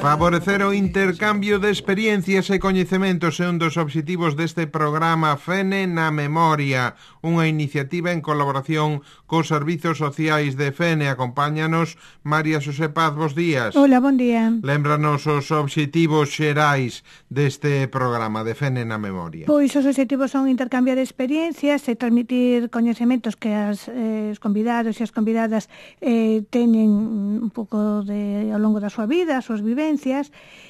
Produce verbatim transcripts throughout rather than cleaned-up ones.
Favorecer o intercambio de experiencias e coñecementos é un dos obxectivos deste programa Fene na Memoria, unha iniciativa en colaboración cos servizos sociais de Fene. Acompáñanos María Xosé Paz, bos días. Hola, bon día. Lémbranos os obxectivos xerais deste programa de Fene na Memoria. Pois os obxectivos son intercambiar experiencias e transmitir coñecementos que as, eh, os convidados e as convidadas eh, teñen un pouco de, ao longo da súa vida, as súas vivencias,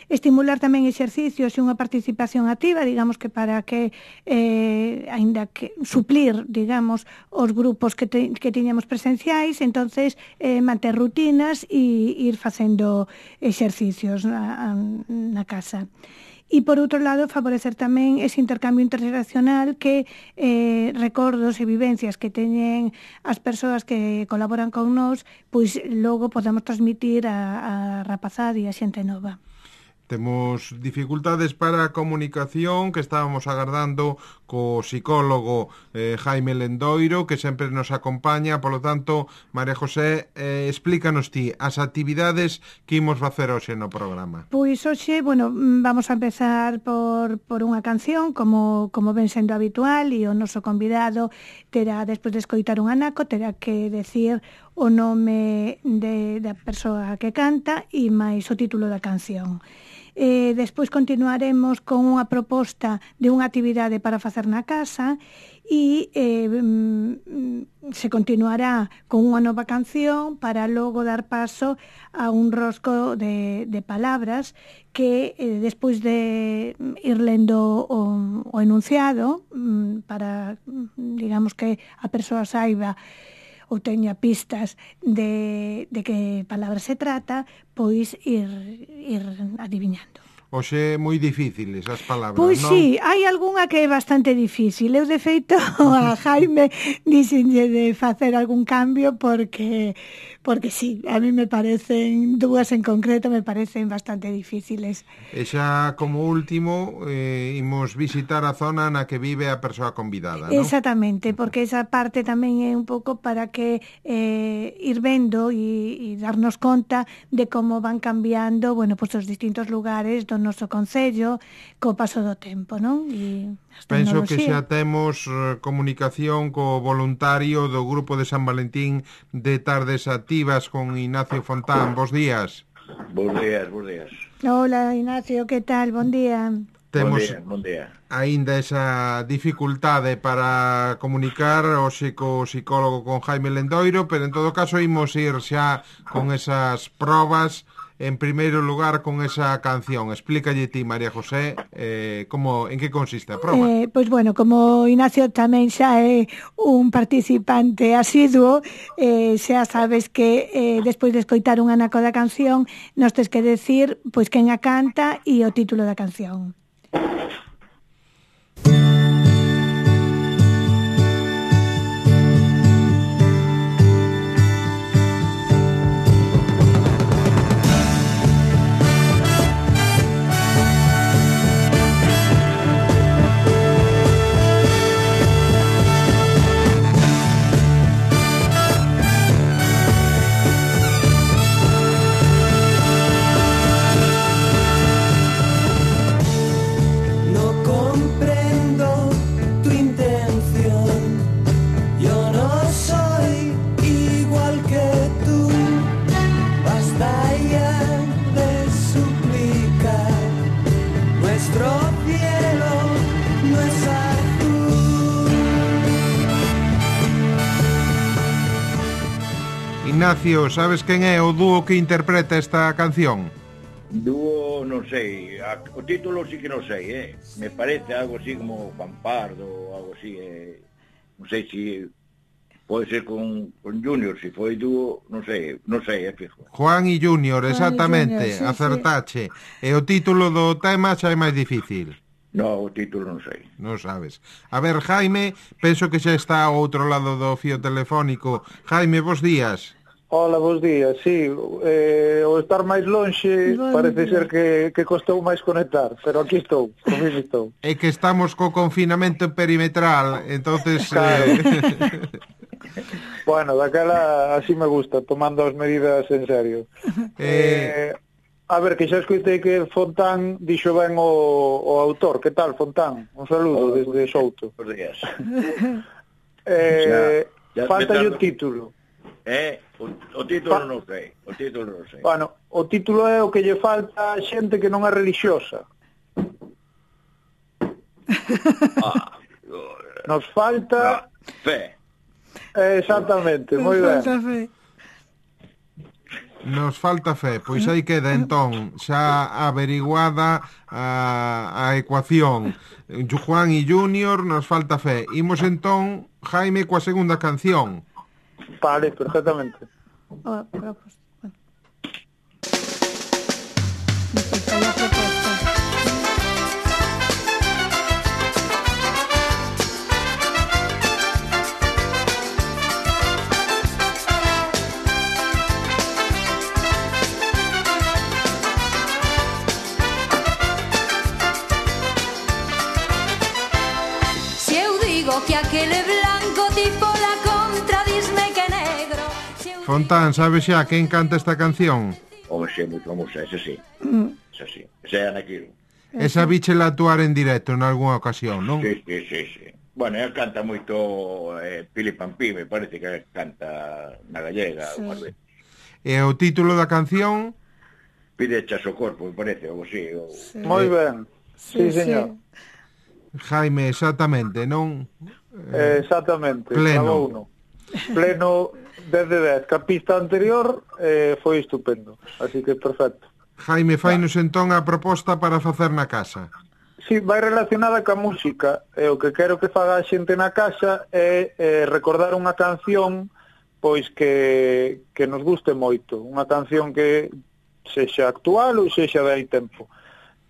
estimular tamén exercicios e unha participación activa, digamos que para que, eh, aínda que suplir, digamos, os grupos que, te, que tiñamos presenciais, entonces eh, manter rutinas e ir facendo exercicios na, na casa. E, por outro lado, favorecer tamén ese intercambio interxeracional que eh, recordos e vivencias que teñen as persoas que colaboran con nós, pois logo podemos transmitir a, a rapazada e a xente nova. Temos dificultades para a comunicación que estábamos agardando co psicólogo eh, Jaime Lendoiro, que sempre nos acompaña. Polo tanto, María José, eh, explícanos ti as actividades que imos facer hoxe no programa. Pois hoxe, bueno, vamos a empezar por, por unha canción, como, como ven sendo habitual, e o noso convidado terá, despois de escoitar un anaco, terá que decir o nome de, da persoa que canta e máis o título da canción. Eh, despois continuaremos con unha proposta de unha actividade para facer na casa e eh, se continuará con unha nova canción para logo dar paso a un rosco de, de palabras que eh, despois de ir lendo o, o enunciado para, digamos, que a persoa saiba ou teña pistas de, de que palabra se trata, pois ir, ir adivinando. Oxe, moi difíciles as palabras, pois non? Pois sí, hai algunha que é bastante difícil. Eu, de feito, a Jaime dixenlle de facer algún cambio porque, porque sí, a mí me parecen, dúas en concreto, me parecen bastante difíciles. E xa, como último, eh, imos visitar a zona na que vive a persoa convidada, non? Exactamente, porque esa parte tamén é un pouco para que eh, ir vendo e, e darnos conta de como van cambiando, bueno, pues os distintos lugares do noso concello co paso do tempo, non? E penso que xa temos uh, comunicación co voluntario do Grupo de San Valentín de Tardes Activas con Ignacio Fontán. Bos días. Bos días, bos días. Hola, Ignacio, que tal? Bon día. Temos bon día, bon día. Aínda esa dificultade para comunicar hoxe co psicólogo con Jaime Lendoiro, pero en todo caso imos ir xa con esas probas. En primeiro lugar, con esa canción, explícalle ti, María José, eh, como, en que consiste a proba? Eh, pois bueno, como Ignacio tamén xa é un participante asiduo, eh, xa sabes que eh, despois de escoitar un anaco da canción, nos tes que decir pois quen a canta e o título da canción. Ignacio, sabes quen é o dúo que interpreta esta canción? Dúo, non sei, o título sí que non sei, eh? Me parece algo así como Juan Pardo, algo así, eh? Non sei se pode ser con, con Junior, se foi dúo, non sei, non sei, é fijo. Juan e Junior, exactamente, Junior, sí, acertache. Sí. E o título do tema xa é máis difícil. No, o título non sei. Non sabes. A ver, Jaime, penso que xa está ao outro lado do fío telefónico. Jaime, bos días. Hola, bos días, sí, eh, o estar máis lonxe bon parece día. ser que, que costou máis conectar, pero aquí estou, comigo estou. É que estamos co confinamento perimetral, entonces... Claro. Eh... bueno, daquela así me gusta, tomando as medidas en serio. Eh... eh A ver, que xa escoitei que Fontán dixo ben o, o autor. Que tal, Fontán? Un saludo oh, desde Souto. Por días. eh, ya, ya falta o título. Eh, o, o título pa... non sei. O título non sei. Bueno, o título é o que lle falta a xente que non é religiosa. Ah, nos falta... No, fe. Eh, exactamente, moi ben. Fe. Nos falta fe, pois aí queda entón xa averiguada a, a ecuación. Juan e Junior, nos falta fe. Imos entón, Jaime, coa segunda canción. Vale, perfectamente. Oh, propos, bueno. Despois hai a proposta. Que aquele blanco tipo la contra disme que negro. Fontán, sabes xa quen canta esta canción? Home, xe, moi famosa, ese sí. Mm. Ese sí. Ese é Anaquilo. Esa bichela actuar en directo en algunha ocasión, non? Sí, sí, sí, sí. Bueno, ela canta moito eh, Pili Pampí, me parece que canta na gallega. Sí. E o título da canción? Pide chas o corpo, me parece, ou así. O... Sí. Moi ben. Sí, sí, señor. Sí. Jaime, exactamente, non? Eh, exactamente. Pleno. Uno. Pleno dez de dez. Que a pista anterior eh, foi estupendo. Así que perfecto. Jaime, fainos entón a proposta para facer na casa. Sí, vai relacionada ca música. E o que quero que faga a xente na casa é eh, recordar unha canción pois que, que nos guste moito. Unha canción que sexa actual ou sexa de hai tempo.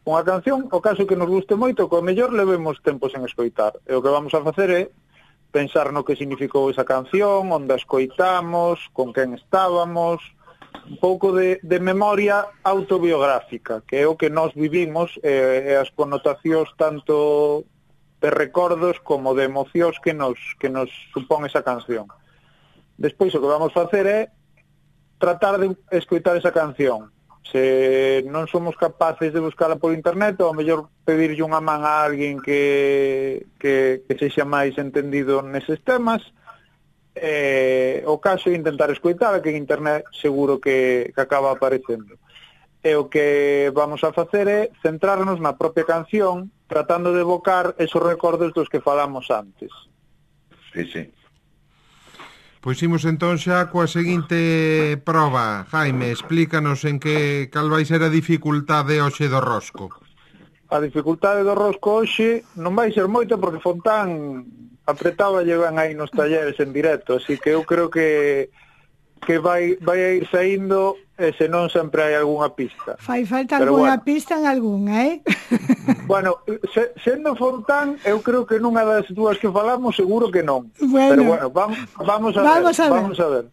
Unha canción, o caso que nos guste moito, que ao mellor levemos tempo sen escoitar. E o que vamos a facer é pensar no que significou esa canción, onde a escoitamos, con quen estábamos, un pouco de, de memoria autobiográfica, que é o que nós vivimos, e, e as connotacións tanto de recordos como de emocións que nos, que nos supón esa canción. Despois o que vamos facer é tratar de escoitar esa canción. Se non somos capaces de buscala por internet, ou ao mellor pedirlle unha man a alguén que, que, que sexa máis entendido neses temas, eh, o caso é intentar escoitala, que en internet seguro que, que acaba aparecendo. E o que vamos a facer é centrarnos na propia canción, tratando de evocar esos recordos dos que falamos antes. Sí, sí. Pois imos entón xa coa seguinte proba. Jaime, explícanos en que cal vai ser a dificultade hoxe do rosco. A dificultade do rosco hoxe non vai ser moita porque Fontán apretaba llevan aí nos talleres en directo, así que eu creo que que vai vai a ir saindo e se non sempre hai algunha pista. Fai falta algunha bueno. pista en algunha, eh? Bueno, se, sendo Fontán, eu creo que nunha das dúas que falamos seguro que non. Bueno. Pero bueno, vamos, vamos a vamos ver, a ver. Vamos a ver.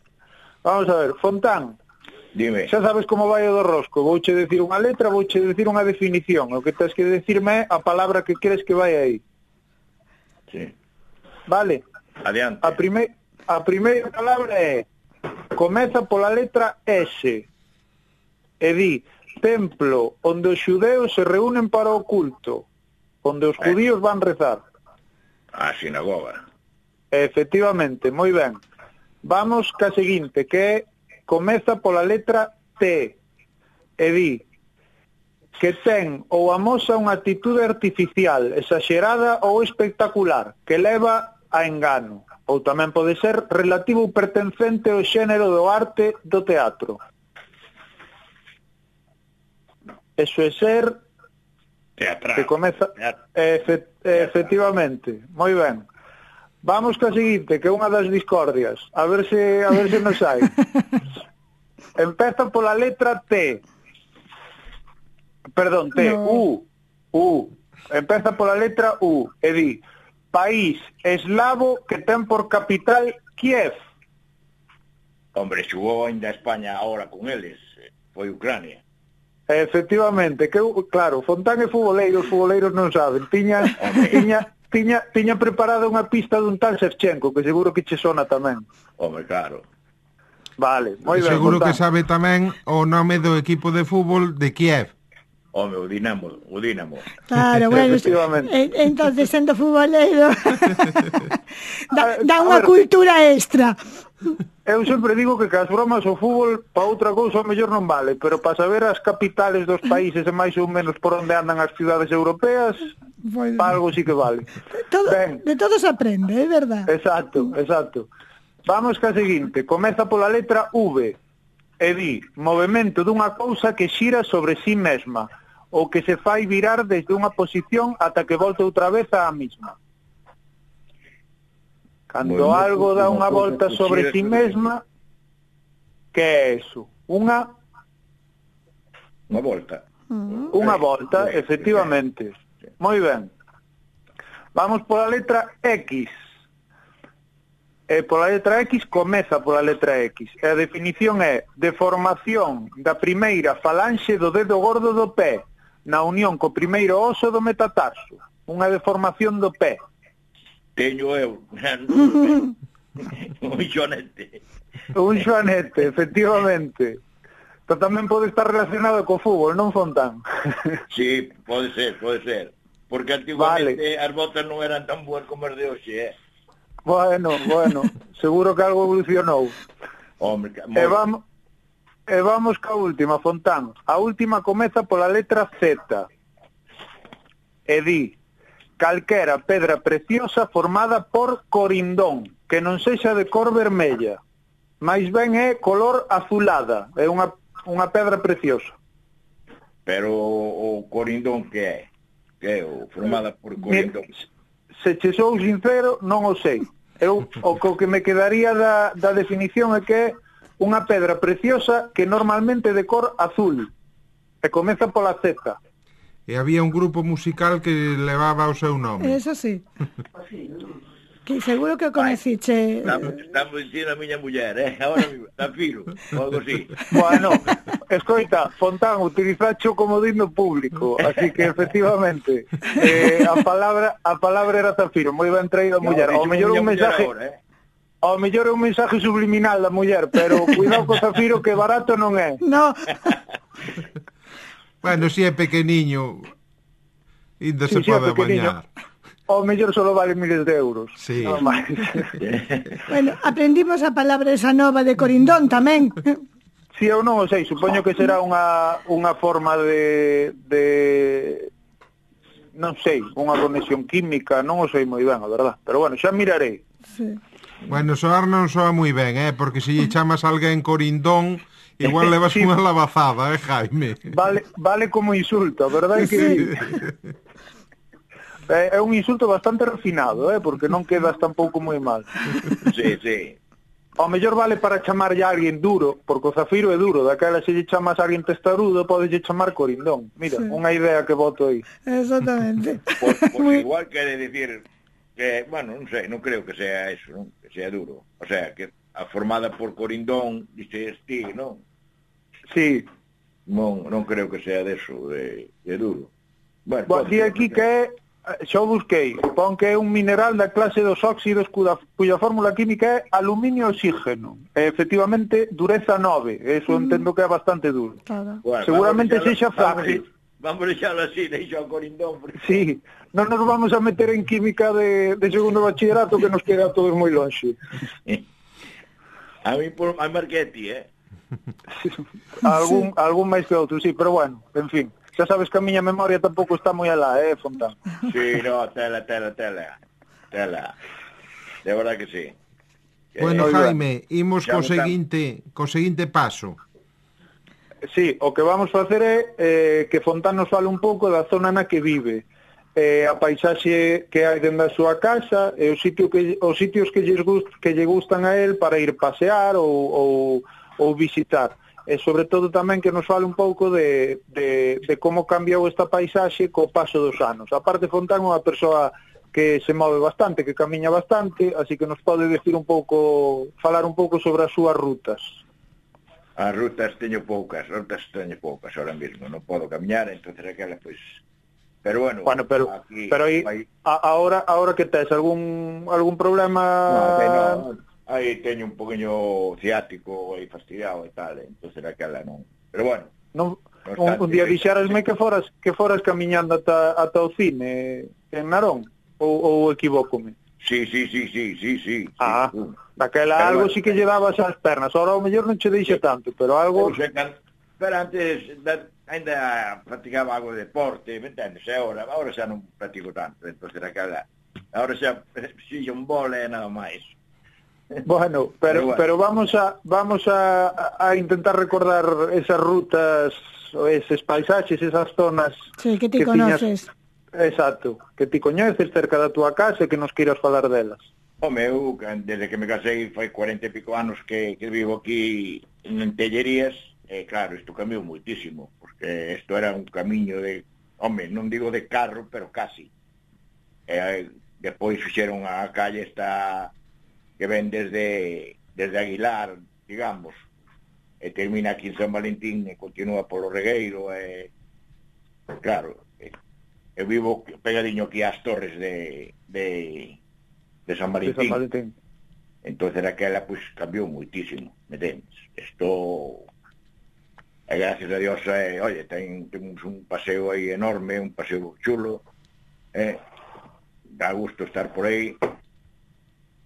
Vamos a ver, Fontán. Dime. Xa sabes como vai o do rosco. Vouche decir unha letra, vouche decir unha definición. O que tens que decirme é a palabra que queres que vai aí. Sí. Vale. Adiante. A, prime... a primeira palabra é comeza pola letra S e di templo onde os xudeus se reúnen para o culto, onde os judíos van rezar. A sinagoga. Efectivamente, moi ben. Vamos ca seguinte, que é comeza pola letra T e di que ten ou amosa unha actitude artificial, exagerada ou espectacular, que leva a engano. Ou tamén pode ser relativo ou pertencente ao xénero do arte do teatro. Eso é ser... Teatral. Que comeza... Efe... Efectivamente, moi ben. Vamos ca seguinte, que é unha das discordias. A ver se, a ver se nos hai. Empeza pola letra T. Perdón, T. No. U. U. Empeza pola letra U. E di... País eslavo que ten por capital Kiev. Hombre, xugou ainda a España ahora con eles. Foi Ucrania. Efectivamente, que claro, Fontán e futboleiro, os futboleiros non saben. Tiña, tiña, tiña, tiña preparada unha pista dun tal Shevchenko, que seguro que che sona tamén. Hombre, claro. Vale, moi ben. Seguro Fontán. que sabe tamén o nome do equipo de fútbol de Kiev. Home, o Dinamo, o Dinamo. Claro, bueno, Efectivamente. en- entonces sendo futbolero dá, dá A unha ver. cultura extra. Eu sempre digo que cas bromas o fútbol pa outra cousa o mellor non vale, pero para saber as capitales dos países e máis ou menos por onde andan as cidades europeas, Bueno, pa algo sí que vale. todo, Ben. de todo se aprende, é verdad. Exacto, exacto. Vamos ca seguinte, comeza pola letra V e di movemento dunha cousa que xira sobre sí mesma ou que se fai virar desde unha posición ata que volta outra vez á mesma. Cando Movemento algo dá dunha unha cousa volta que sobre xira sí sobre sí mesma, que é eso? Unha Unha volta. unha volta, efectivamente. Moi ben. Vamos pola letra X. E pola letra X comeza pola letra X. E a definición é deformación da primeira falanxe do dedo gordo do pé na unión co primeiro oso do metatarso. Unha deformación do pé. Teño eu. Un xonete. Un xoanete, efectivamente. Pero tamén pode estar relacionado co fútbol, non, Fontán? Sí, pode ser, pode ser. Porque antiguamente vale. As botas non eran tan boas como as de hoxe, eh? Bueno, bueno, seguro que algo evolucionou. Hombre, que... E vamos, e vamos ca última, Fontán. A última comeza pola letra Z. E di, calquera pedra preciosa formada por corindón, que non sexa de cor vermella. Mais ben é color azulada, é unha, unha pedra preciosa. Pero o, o corindón que é? Que é o formada por corindón? Se che sou sincero, non o sei. Eu o co que me quedaría da, da definición é que é unha pedra preciosa que normalmente é de cor azul. E comeza pola Z. E había un grupo musical que levaba o seu nome. Eso sí. Que seguro que o conociche. Estamos, estamos dicindo a miña muller, eh? Ahora mismo, está filo, ou algo así. Bueno, escoita, Fontán, utilizacho como digno público, así que efectivamente eh, a palabra a palabra era Zafiro, moi ben traído a muller. Ao mellor un mensaje ahora, eh? Ao mellor é un mensaje subliminal da muller, pero cuidado co Zafiro que barato non é. No, Bueno, si é pequeniño, ainda se Sí, sí, é pode pequeniño. bañar. Ao mellor solo vale miles de euros. Sí. Nada máis. bueno, aprendimos a palabra esa nova de corindón tamén. Si eu non o sei, supoño que será unha unha forma de de non sei, unha conexión química, non o sei moi ben, a verdad. Pero bueno, xa mirarei. Sí. Bueno, soar non soa moi ben, eh? Porque se lle chamas a alguén corindón, igual levas Sí. unha lavazada, eh, Jaime? Vale, vale como insulto, a verdade é que Sí. é, é un insulto bastante refinado, eh, porque non quedas tampouco moi mal. Sí, sí. Ao mellor vale para chamarlle a alguén duro, porque o Zafiro é duro, daquela se lle chamas a alguén testarudo, podeslle chamar corindón. Mira, Sí. unha idea que boto aí. Exactamente. Pues, pues Muy- igual quere decir que, bueno, non sei, non creo que sea eso, non? Que sea duro. O sea, que a formada por corindón, dices ti, non? Sí. Non, non creo que sea de eso, de, de duro. Bueno, Bo, pode di ser, aquí non que sei. é, xa o busquei, pon que é un mineral da clase dos óxidos cuya, cuya fórmula química é aluminio e oxígeno. E, efectivamente, dureza nove, eso entendo que é bastante duro. Claro. Bueno, seguramente vamos a sexa deixalo- frágil. Vamos, vamos a deixalo así, deixo ao corindón. Porque... Sí, non nos vamos a meter en química de, de segundo bachillerato que nos queda a todos moi longe. A mí por a Marchetti, eh? algún, algún máis que outro, sí, pero bueno, en fin. Xa sabes que a miña memoria tampouco está moi alá, eh, Fontán? Sí, no, tela, tela, tela. Tela. De verdad que sí. Bueno, Eh, Jaime, imos xa co votamos. seguinte, co seguinte paso. Sí, o que vamos facer é eh, que Fontán nos fale un pouco da zona na que vive, eh, a paisaxe que hai dentro da súa casa, e os, sitio que, os sitios que, lles gust, que lle gustan a él para ir pasear ou, ou, ou visitar. E sobre todo tamén que nos fale un pouco de, de, de como cambiou esta paisaxe co paso dos anos. A parte, Fontán é unha persoa que se move bastante, que camiña bastante, así que nos pode decir un pouco, falar un pouco sobre as súas rutas. As rutas teño poucas, rutas teño poucas ahora mismo, non podo camiñar, entonces aquela, pois... Pero bueno, Bueno, pero aquí, pero aí vai... a, ahora ahora que tes algún algún problema No, que no, aí teño un poquinho ciático aí fastidiado e tal, entonces aquela non. Pero bueno, non, un, un día dixerasme que foras que foras camiñando ata, ata o cine en Narón, ou, ou equivócome? Sí, sí, sí, sí, sí, sí. Ah, sí, daquela pero algo bueno, sí que lle dabas as pernas, ahora ao mellor non che deixa tanto, pero algo... Pero, can... pero antes da... ainda practicaba algo de deporte, me entendes? E ahora, ahora xa non practico tanto, entonces aquela... Ahora xa si un vole e nada máis. Bueno, pero, bueno. pero vamos a vamos a, a intentar recordar esas rutas, o eses paisaxes, esas zonas sí, que ti que conoces. Tiñas, exacto, que ti coñeces cerca da túa casa e que nos queiras falar delas. Home, eu, desde que me casei, fai cuarenta e pico anos que, que vivo aquí en Tellerías, e claro, isto cambiou moitísimo, porque isto era un camiño de, home, non digo de carro, pero casi. E depois fixeron a calle esta que ven desde desde Aguilar, digamos, e termina aquí en San Valentín e continúa polo Regueiro, e claro, eu vivo pegadiño aquí ás torres de de, de San Valentín. De San Valentín. Entonces aquela pues cambiou moitísimo, me tens. Isto e gracias a Dios, eh, oye, ten, temos un paseo aí enorme, un paseo chulo, eh, dá gusto estar por aí.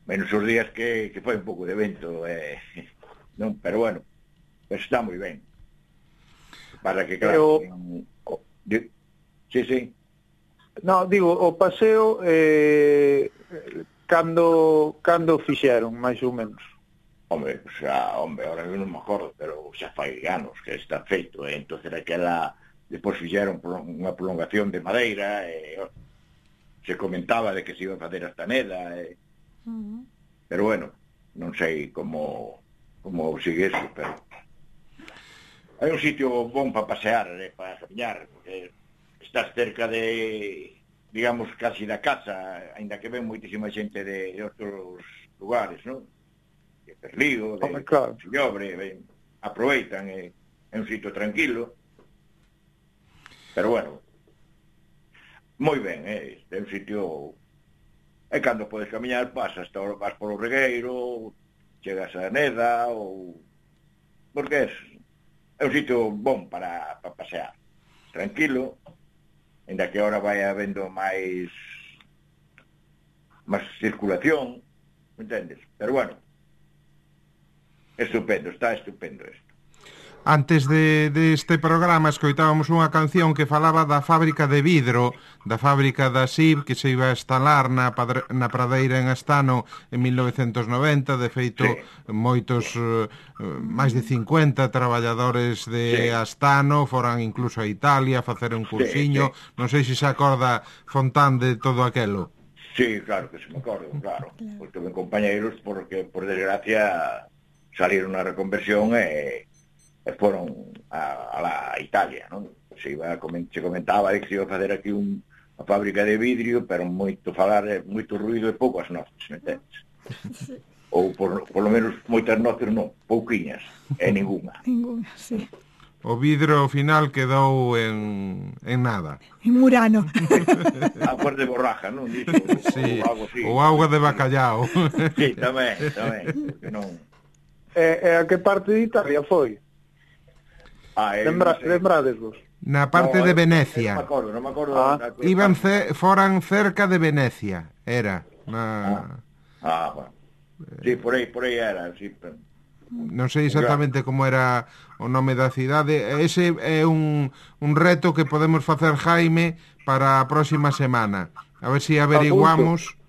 Menos os días que, que foi un pouco de vento, eh, non, pero bueno, pues está moi ben. Para que, claro, Pero... en, oh, di, sí, sí. No, digo, o paseo eh, cando cando fixeron, máis ou menos. Hombre, xa, hombre, ahora non me acordo, pero xa fai anos que está feito, eh, entonces aquela, despois fixeron unha prolongación de madeira, e eh, se comentaba de que se iba a facer hasta Neda, e eh, Uh-huh. Pero bueno, non sei como como sigue eso, pero hai un sitio bon para pasear, eh, para camiñar, porque estás cerca de, digamos, casi da casa, ainda que ven moitísima xente de, de outros lugares, non? De Perlío, de oh, claro. Sillobre, ven, aproveitan, é eh, un sitio tranquilo, pero bueno, moi ben, eh, é un sitio. E cando podes camiñar, pasas, vas polo Regueiro, chegas a Neda, ou... porque é, é un sitio bon para, para pasear. Tranquilo, ainda que ahora vai habendo máis máis circulación, me entendes? Pero bueno, estupendo, está estupendo isto. Antes de, de este programa escoitábamos unha canción que falaba da fábrica de vidro, da fábrica da S I B que se iba a instalar na, padre, na pradeira en Astano en mil novecentos noventa, de feito sí. moitos, uh, máis de cincuenta traballadores de sí. Astano foran incluso a Italia a facer un cursiño, sí, sí. Non sei se se acorda Fontán de todo aquelo. Sí, claro que se me acordo, claro, claro. Porque ben compañeiros, porque por desgracia salieron a reconversión e... e foron a, a la Italia, non? Se iba a coment, se comentaba de que se iba a facer aquí un, a fábrica de vidrio, pero moito falar, moito ruido e poucas noces, me entendes? Sí. Ou por, por lo menos moitas noces non, pouquiñas, e ninguna. Ninguna, sí. O vidro ao final quedou en, en nada. En Murano. A cor de borraja, non? Diso, sí, ou algo así. O auga de bacallao. Sí, tamén, tamén. Non... E, e a que parte de Italia foi? Ah, Lembra, no lembrades vos? Na parte no, de Venecia. Non me acordo, non me acordo. Ah. Da, da, Iban ce, foran cerca de Venecia, era. Na... Ah, ah, bueno. Sí, por aí, por aí era, sí. Pero... Non sei exactamente como era o nome da cidade. Ese é un, un reto que podemos facer, Jaime, para a próxima semana. A ver se si averiguamos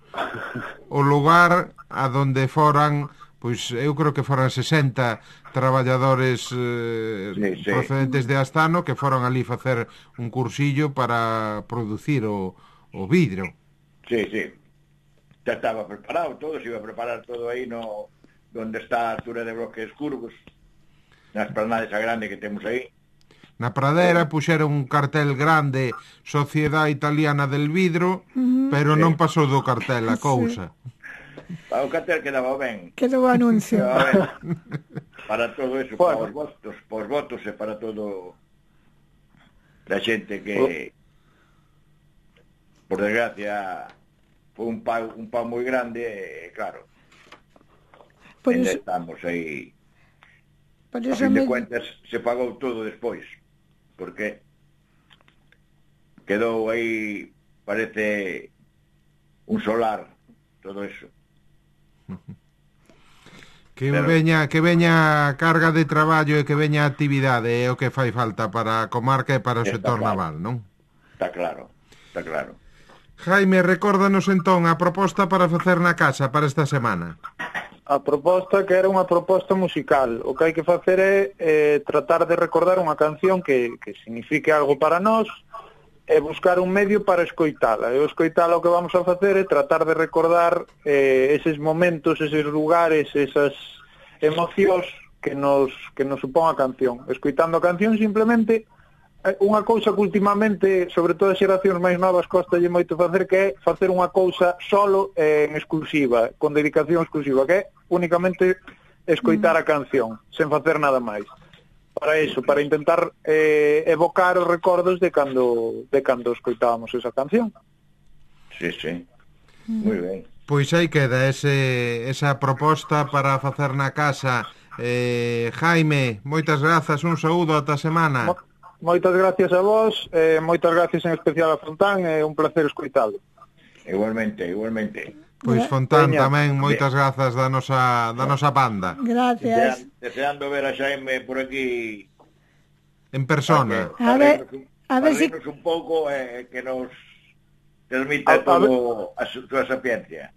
o lugar a donde foran, pois eu creo que foran sesenta traballadores eh, sí, sí. procedentes de Astano que foron ali facer un cursillo para producir o, o vidro. Sí, sí. Ya estaba preparado todo, se iba a preparar todo aí no donde está a altura de Bloques Curvos, nas planades a grande que temos aí. Na pradera puxeron un cartel grande Sociedade Italiana del Vidro, uh-huh. pero sí. non pasou do cartel a cousa. Sí. O cartel quedaba ben. Quedou o anuncio. Quedaba ben. Para todo eso, bueno. para os votos, para os votos e para todo da xente que, oh. por desgracia, foi un pau, un pau moi grande, e claro, Por ainda eso, estamos aí. por A eso fin de me... cuentas, se pagou todo despois, porque quedou aí, parece, un solar, todo eso. Que Pero- veña que veña carga de traballo e que veña actividade é o que fai falta para a comarca e para o Está sector claro. naval, non? Está claro, está claro. Jaime, recórdanos entón a proposta para facer na casa para esta semana. A proposta que era unha proposta musical. O que hai que facer é eh, tratar de recordar unha canción que, que signifique algo para nós e buscar un medio para escoitala. E o escoitala o que vamos a facer é tratar de recordar eh, eses momentos, eses lugares, esas emocións que nos, que nos supón a canción. Escoitando a canción simplemente eh, unha cousa que últimamente, sobre todo as xeracións máis novas, costalle moito facer, que é facer unha cousa solo eh, en exclusiva, con dedicación exclusiva, que é únicamente escoitar a canción, sen facer nada máis. Para iso, para intentar eh, evocar os recordos de cando de cando escoitábamos esa canción. Sí, sí. Moi ben. Pois aí queda ese, esa proposta para facer na casa. eh, Jaime, moitas grazas, un saúdo ata a semana. Mo moitas gracias a vos, eh, moitas gracias en especial a Fontán, é un placer escoitalo. Igualmente, igualmente. Pois Fontán Veña. tamén moitas grazas da nosa, da nosa banda. Gracias. Desean, deseando ver a Xaime por aquí. En persona. A ver, a ver si- un pouco eh, que nos transmita A- a todo a su, súa sapiencia.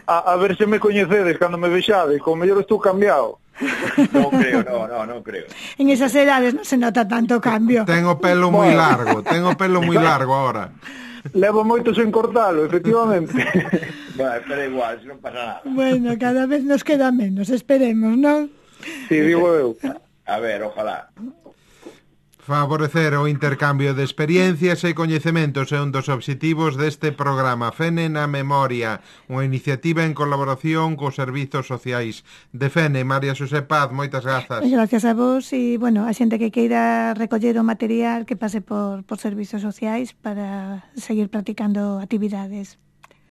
A, a ver se me coñecedes cando me vexades, como mellor estou cambiado. Non creo, no, no, non creo. En esas edades non se nota tanto cambio. Ten o pelo moi largo, ten o pelo moi largo ahora. Levo moito sen cortalo, efectivamente. Bueno, pero igual, se non pasa nada. Bueno, cada vez nos queda menos, esperemos, non? Si, digo eu. A ver, ojalá. Favorecer o intercambio de experiencias e coñecementos é un dos obxectivos deste programa Fene na Memoria, unha iniciativa en colaboración cos servizos sociais de Fene. María Xosé Paz, moitas grazas. Gracias a vos e, bueno, a xente que queira recoller o material que pase por, por servizos sociais para seguir practicando actividades.